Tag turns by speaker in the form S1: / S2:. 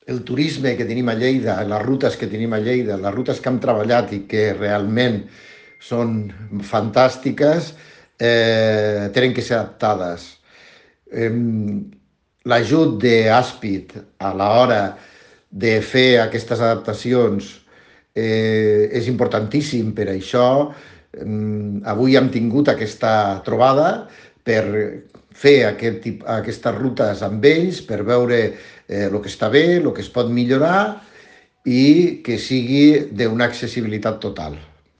S1: el turisme que tenim a Lleida, les rutes que tenim a Lleida, les rutes que hem treballat i que realment són fantàstiques, tenen que ser adaptades. Eh, L'ajut d'Àspid a l'hora de fer aquestes adaptacions és importantíssim per això. Avui hem tingut aquesta trobada per fer aquestes rutes amb ells, per veure el que està bé, el que es pot millorar i que sigui d'una accessibilitat total.